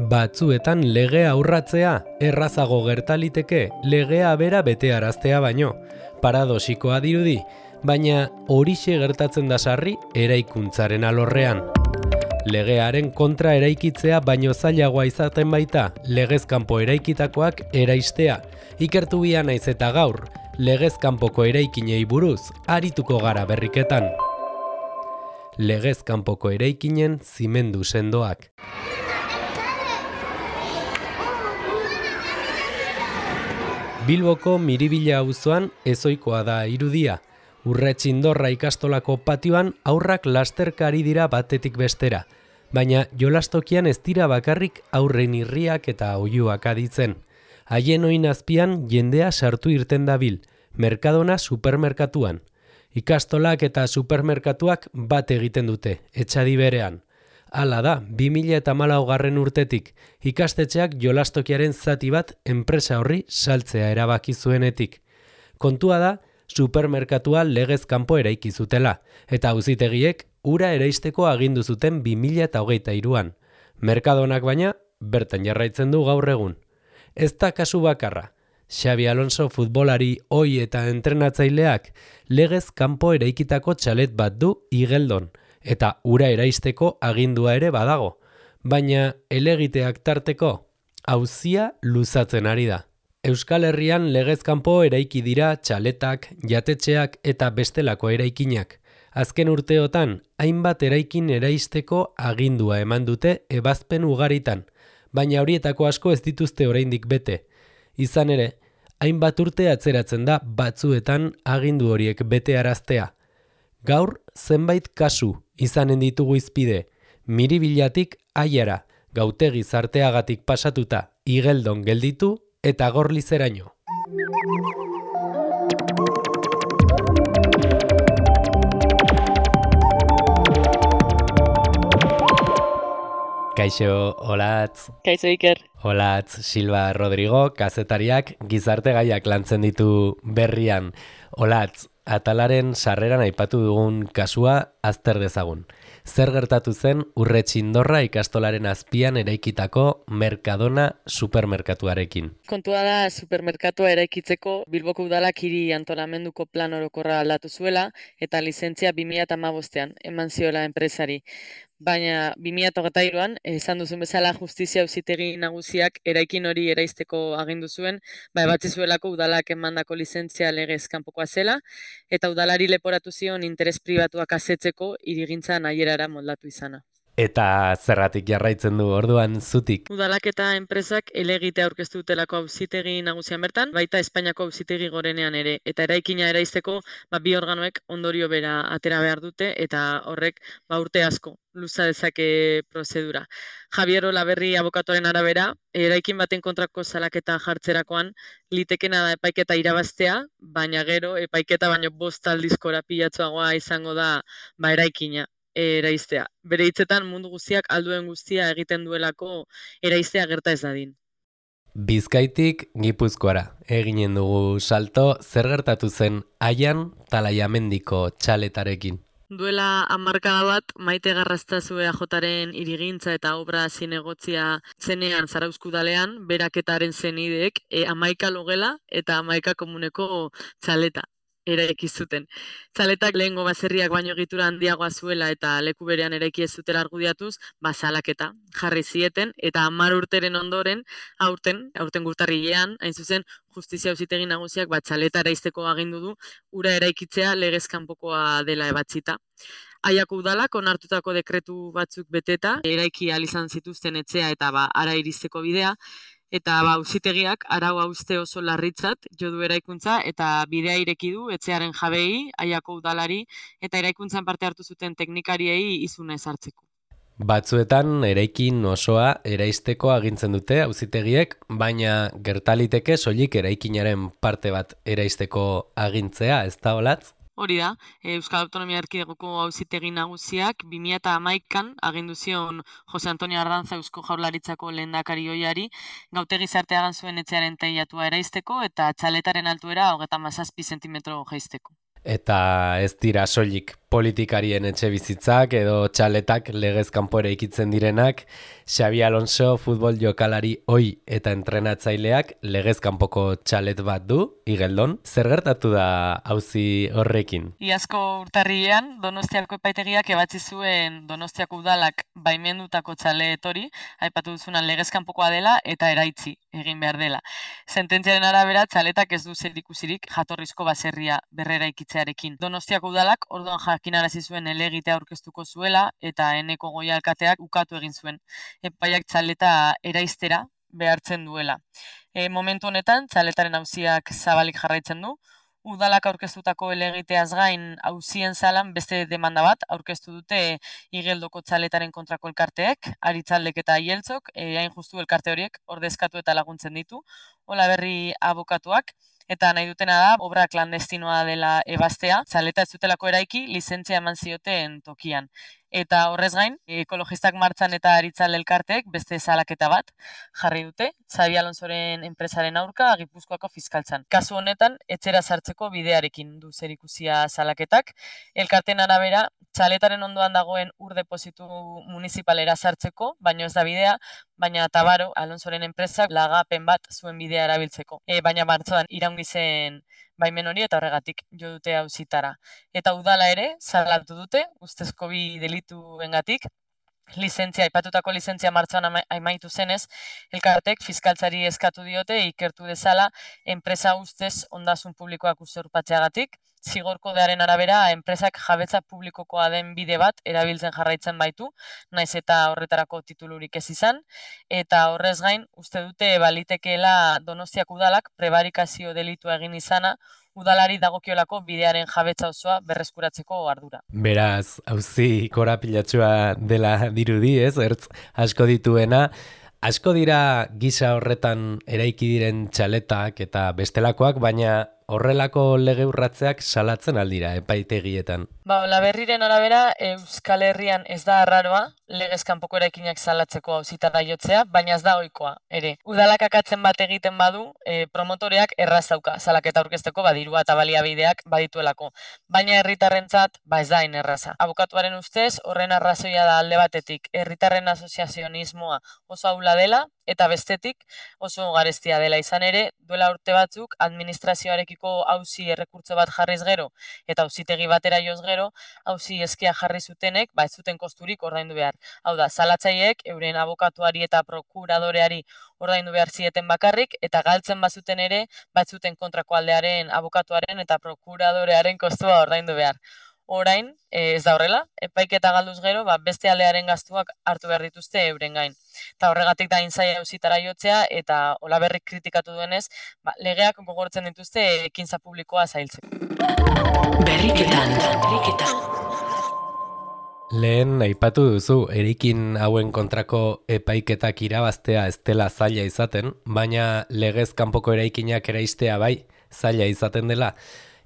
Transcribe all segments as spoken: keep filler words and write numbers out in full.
Batzuetan legea urratzea errazago gertaliteke legea bera betearaztea baino. Paradosikoa dirudi, baina horixe gertatzen da sarri eraikuntzaren alorrean. Legearen kontra eraikitzea baino zailagoa izaten baita legez kanpo eraikitakoak eraistea. Ikertu bia naiz eta gaur, legez kanpoko eraikinei buruz arituko gara berriketan. Legez kanpoko eraikinen zimendu sendoak. Bilboko Miribilla auzoan ezoikoa da irudia. Urretxindorra ikastolako patioan aurrak lasterkari dira batetik bestera, baina jolastokian ez dira bakarrik aurren irriak eta oihuak aditzen. Haien oin azpian jendea sartu irten dabil, Mercadona supermerkatuan. Ikastolak eta supermerkatuak bat egiten dute, etxadi berean. Hala da, bi mila hamalaugarren urtetik, ikastetxeak jolastokiaren zati bat enpresa horri saltzea erabaki zuenetik. Kontua da, supermerkatua legez kanpo eraiki zutela, eta auzitegiek ura eraisteko agindu zuten bi mila hogeita hiruan. Mercadonak baina, bertan jarraitzen du gaur egun. Ez da kasu bakarra. Xabi Alonso futbolari ohi eta entrenatzaileak legez kanpo eraikitako txalet bat du Igeldon, eta ura eraisteko agindua ere badago, baina elegiteak tarteko auzia luzatzen ari da. Euskal Herrian legez kanpo eraiki dira txaletak, jatetxeak eta bestelako eraikinak. Azken urteotan, hainbat eraikin eraisteko agindua eman dute ebazpen ugaritan, baina horietako asko ez dituzte oraindik bete. Izan ere, hainbat urte atzeratzen da batzuetan agindu horiek betearaztea. Gaur, zenbait kasu izanen ditugu izpide, Miribillatik Aiara, Gautegi Zarteagatik pasatuta, Igeldon gelditu eta Gorlizeraino. Kaixo, Olatz. Kaixo, Iker. Olatz, Silva Rodrigo, kazetariak gizarte gaiak lantzen ditu berrian. Olatz, atalaren sarreran aipatu dugun kasua azter dezagun. Zer gertatu zen Urretxindorra ikastolaren azpian eraikitako Mercadona supermerkatuarekin? Kontua da supermerkatua eraikitzeko Bilboko udalak hiri antolamenduko plan orokorra aldatu zuela eta lizentzia bi mila hamabostean eman ziola enpresari. Baina bi mila hogeita hiruan, esan duzun bezala justizia auzitegi nagusiak eraikin hori eraisteko agindu zuen, ba ebatzi zuelako udalak emandako lizentzia legez kanpokoa zela, eta udalari leporatu zion interes pribatuak asetzeko hirigintza nahierara moldatu izana. Eta zerratik jarraitzen du orduan zutik? Udalak eta enpresak helegitea aurkeztu dutelako auzitegi nagusian bertan, baita Espainiako auzitegi gorenean ere, eta eraikina eraisteko ba, bi organoek ondorio bera atera behar dute, eta horrek ba, urte asko luza dezake prozedura. Javier Olaberri abokatoren arabera, eraikin baten kontrako salaketa jartzerakoan, litekena da epaiketa irabaztea, baina gero epaiketa baino bost aldizkora pilatsuagoa izango da ba, eraikina eraistea. Bere hitzetan mundu guztiak alduen guztia egiten duelako eraistea gerta ez dadin. Bizkaitik Gipuzkoara eginen dugu salto, zer gertatu zen Aian Talaiamendiko txaletarekin? Duela hamarkada bat, Maite Garraztazu E A Jaren irigintza eta obra zinegotzia zenean Zarauzkudalean, beraketaren zenideek e, amaika logela eta amaika komuneko txaleta eraiki zuten. Txaletak lehengo baserriak baino egitura handiagoa zuela eta leku berean eraiki ez zutela argudiatuz, bazalaketa jarri zieten eta hamar urteren ondoren, aurten, aurten gurtarrilean, hain zuzen, justizia auzitegi nagusiak bat txaleta eraisteko agindu du, ura eraikitzea legez kanpokoa dela ebatzita. Aiako udalak onartutako dekretu batzuk beteta, eraiki ahal izan zituzten etxea eta ba, ara iristeko bidea, eta ba, auzitegiak arau hauste oso larritzat jo du eraikuntza eta bidea ireki du etxearen jabei, Aiako udalari eta eraikuntzan parte hartu zuten teknikariei izuna ezartzeko. Batzuetan eraikin osoa eraisteko agintzen dute auzitegiek, baina gertaliteke soilik eraikinaren parte bat eraisteko agintzea, ez da, Olatz? Hori da, Euskal Autonomia Erkidegoko auzitegi nagusiak bi mila hamaikan agindu zion Jose Antonio Ardantza Eusko Jaurlaritzako lehendakari ohiari Gautegi Zarteagan zuen etxearen teilatua eraisteko eta txaletaren altuera hogeita hamazazpi zentimetro jaisteko. Eta ez dira soilik politikarien etxe bizitzak edo txaletak legez kanpo eraikitzen direnak, Xabi Alonso futbol jokalari ohi eta entrenatzaileak legez kanpoko txalet bat du, Igeldon. Zer gertatu da auzi horrekin? Iazko urtarrilean Donostiako epaitegiak ebatzi zuen Donostiako udalak baimendutako txalet hori, aipatu duzunan legez kanpokoa dela eta eraitzi egin behar dela. Sententziaren arabera txaletak ez du zerikusirik jatorrizko baserria berreraikitzearekin. Donostiako udalak orduan jakinarazi zuen helegitea aurkeztuko zuela eta Eneko Goia alkateak ukatu egin zuen. Epaiak txaleta eraiztera behartzen duela. E, momentu honetan txaletaren auziak zabalik jarraitzen du. Udalak aurkeztutako helegiteaz gain auzien zalan beste demanda bat aurkeztu dute Igeldoko txaletaren kontrako elkarteek, Aritzaldek eta Aieltzok, e, hain justu elkarte horiek ordezkatu eta laguntzen ditu, Olaberri abokatuak, eta nahi dutena da obra klandestinoa dela ebaztea, txaleta ez dutelako eraiki lizentzia eman zioten tokian. Eta horrez gain, ekologistak martxan eta Aritzalde elkarteek beste salaketa bat jarri dute, Xabi Alonsoren enpresaren aurka Gipuzkoako fiskaltzan. Kasu honetan, etxera sartzeko bidearekin du zerikusia salaketak. Elkarteen arabera, txaletaren ondoan dagoen ur depositu municipalera sartzeko, baino ez da bidea, baina Tabaro, Alonsoren enpresak lagapen bat zuen bidea erabiltzeko. E, baina martxoan iraungi zen baimen hori eta horregatik jo dute auzitara. Eta udala ere, salatu dute, ustezko bi delituengatik, lizentzia, aipatutako lizentzia martxoan amaitu zenez, elkartek fiskaltzari eskatu diote ikertu dezala enpresa ustez ondasun publikoak usurpatzeagatik, zigor kodearen arabera enpresak jabetza publikokoa den bide bat erabiltzen jarraitzen baitu, naiz eta horretarako titulurik ez izan, eta horrez gain uste dute balitekeela Donostiak udalak prebarikazio delitua egin izana, udalari dagokiolako bidearen jabetza osoa berreskuratzeko ardura. Beraz, auzi korapilatsua dela dirudi, ez? Ertz asko dituena, asko dira gisa horretan eraiki diren txaletak eta bestelakoak, baina horrelako lege urratzeak salatzen aldira epaitegietan. Ba, Olaberriren arabera Euskal Herrian ez da arraroa legez kanpoko eraikinak salatzeko auzitara jotzea, baina ez da ohikoa ere. Udalak akatzen bat egiten badu, e, promotoreak erraz dauka salaketa aurkezteko badirua eta baliabideak badituelako. Baina herritarrentzat ba ez da hain erraza. Abokatuaren ustez, horren arrazoia da alde batetik herritarren asoziazionismoa oso ahula dela, eta bestetik oso garestia dela izan ere, duela urte batzuk administrazioarekiko auzi errekurtso bat jarriz gero eta auzitegi batera joz gero, auzi eskia jarri zutenek, ba ez zuten kosturik ordaindu behar. Hau da, salatzaileek euren abokatuari eta prokuradoreari ordaindu behar zieten bakarrik, eta galtzen bazuten ere, ba ez zuten kontrako aldearen abokatuaren eta prokuradorearen kostua ordaindu behar. Orain, ez da horrela, epaiketa galduz gero, ba, beste aldearen gastuak hartu behar dituzte euren gain. Eta horregatik da intzaia auzitara jotzea, eta Olaberrik kritikatu duenez, ba, legeak gogortzen dituzte ekintza publikoa zailtzeko. Berriketan, berriketan. Lehen aipatu duzu, erikin hauen kontrako epaiketak irabaztea ez dela zaila izaten, baina legez kanpoko eraikinak eraistea bai, zaila izaten dela.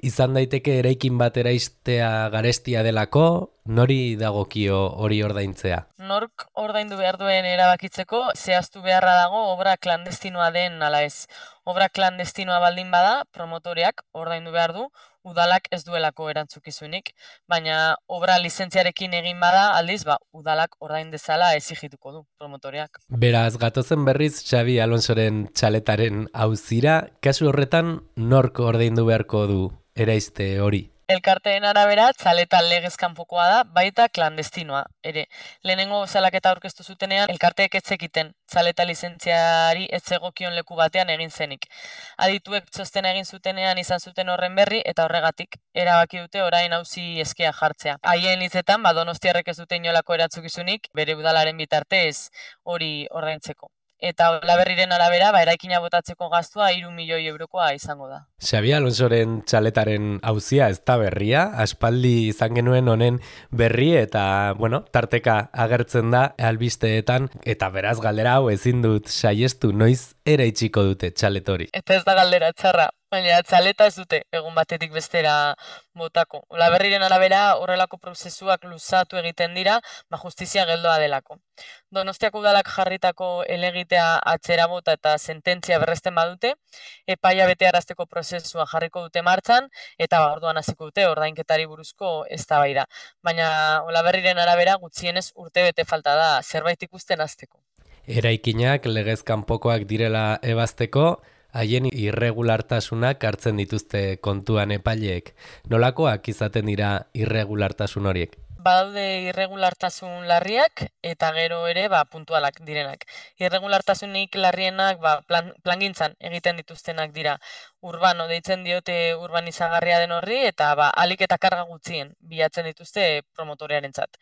Izan daiteke eraikin bat eraistea garestia delako, nori dagokio hori ordaintzea? Nork ordaindu behar duen erabakitzeko, zehaztu beharra dago obra klandestinoa den ala ez. Obra klandestinoa baldin bada, promotoreak ordaindu behar du, udalak ez duelako erantzukizunik, baina obra lizentziarekin egin bada, aldiz, ba, udalak ordain dezala exigituko du promotoreak. Beraz, gatozen berriz Xabi Alonsoren txaletaren auzira, kasu horretan nork ordaindu beharko du eraiste hori? Elkarteen arabera, txaleta legez kanpokoa da, baita klandestinoa. Ere, lehenengo salaketa aurkeztu zutenean, elkarteek ez zekiten txaleta lizentziari ez zegokion leku batean egin zenik. Adituek txostena egin zutenean izan zuten horren berri, eta horregatik erabaki dute orain auzi eskea jartzea. Haien hitzetan, ba, Donostiarrek ez dute inolako erantzukizunik, bere udalaren bitartez hori ordaintzeko. Eta Olaberriren arabera, ba, eraikina botatzeko gastua hiru milioi eurokoa izango da. Xabi Alonsoren txaletaren auzia ez da berria, aspaldi izan genuen honen berri eta, bueno, tarteka agertzen da albisteetan, eta beraz galdera hau ezin dut saiestu, noiz eraitsiko dute txalet hori. Eta ez da galdera txarra, Baina txaleta ez dute egun batetik bestera botako. Olaberriren arabera horrelako prozesuak luzatu egiten dira, ba justizia geldoa delako. Donostiako udalak jarritako helegitea atzera bota eta sententzia berresten badute, epaia betearazteko prozesua jarriko dute martxan, eta ba, orduan hasiko dute ordainketari buruzko eztabaida. Baina Olaberriren arabera gutxienez urte bete falta da zerbait ikusten hasteko. Eraikinak legez kanpokoak direla ebazteko, haien irregulartasunak hartzen dituzte kontuan epaileek. Nolakoak izaten dira irregulartasun horiek? Badaude irregulartasun larriak eta gero ere ba, puntualak direnak. Irregulartasunik larrienak ba, plan, plangintzan egiten dituztenak dira. Urbano deitzen diote urbanizagarria den horri eta ba, alik eta karga gutxien bilatzen dituzte promotorearentzat.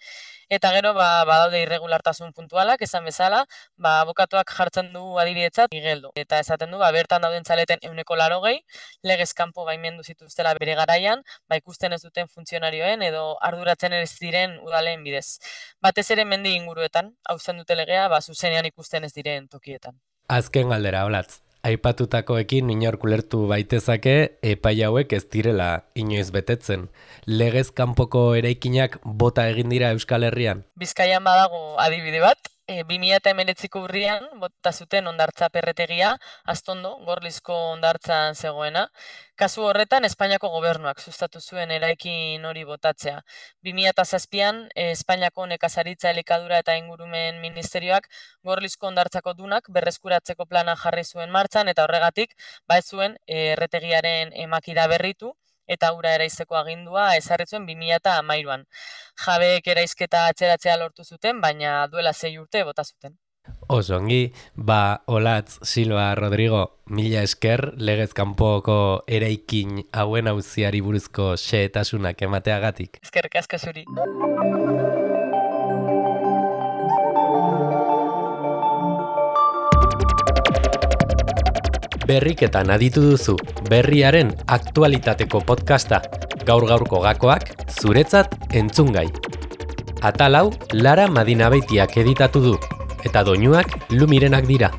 Eta gero ba, badaude irregulartasun puntualak, esan bezala, ba, abokatuak jartzen du adibidetzat igeldo. Eta esaten du, ba, bertan dauden txaleten ehuneko laurogei, legez kanpo baimendu zituztela bere garaian, ba, ikusten ez duten funtzionarioen edo arduratzen ez diren udaleen bidez. Batez ere mendi inguruetan, hauzen dute legea, ba, zuzenean ikusten ez diren tokietan. Azken galdera, Olatz. Aipatutakoekin inork ulertu baitezake epai hauek ez direla inoiz betetzen. Legez kanpoko eraikinak bota egin dira Euskal Herrian? Bizkaian badago adibide bat, e, bi mila hemeretziko urrian bota zuten hondartza perretegia, Astondo, Gorlizko hondartzan zegoena. Kasu horretan Espainiako gobernuak sustatu zuen eraikin hori botatzea. bi mila zazpian e, Espainiako nekazaritza, elikadura eta ingurumen ministerioak Gorlizko hondartzako dunak berreskuratzeko plana jarri zuen martxan eta horregatik ba ez zuen e, erretegiaren emakida berritu eta ura eraizteko agindua ezarri zuen bi mila hamairuan. Jabeek eraizketa atzeratzea lortu zuten, baina duela sei urte bota zuten. Oso ongi, ba Olatz Silva Rodrigo, mila esker legez kanpoko eraikin hauen auziari buruzko xehetasunak emateagatik. Eskerrik asko zuri. Berriketan aditu duzu, berriaren aktualitateko podcasta, gaur-gaurko gakoak, zuretzat entzungai. Atal hau Lara Madinabeitiak editatu du, eta doinuak Lumirenak dira.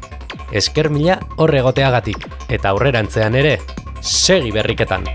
Esker mila hor egoteagatik, eta aurrerantzean ere, segi berriketan!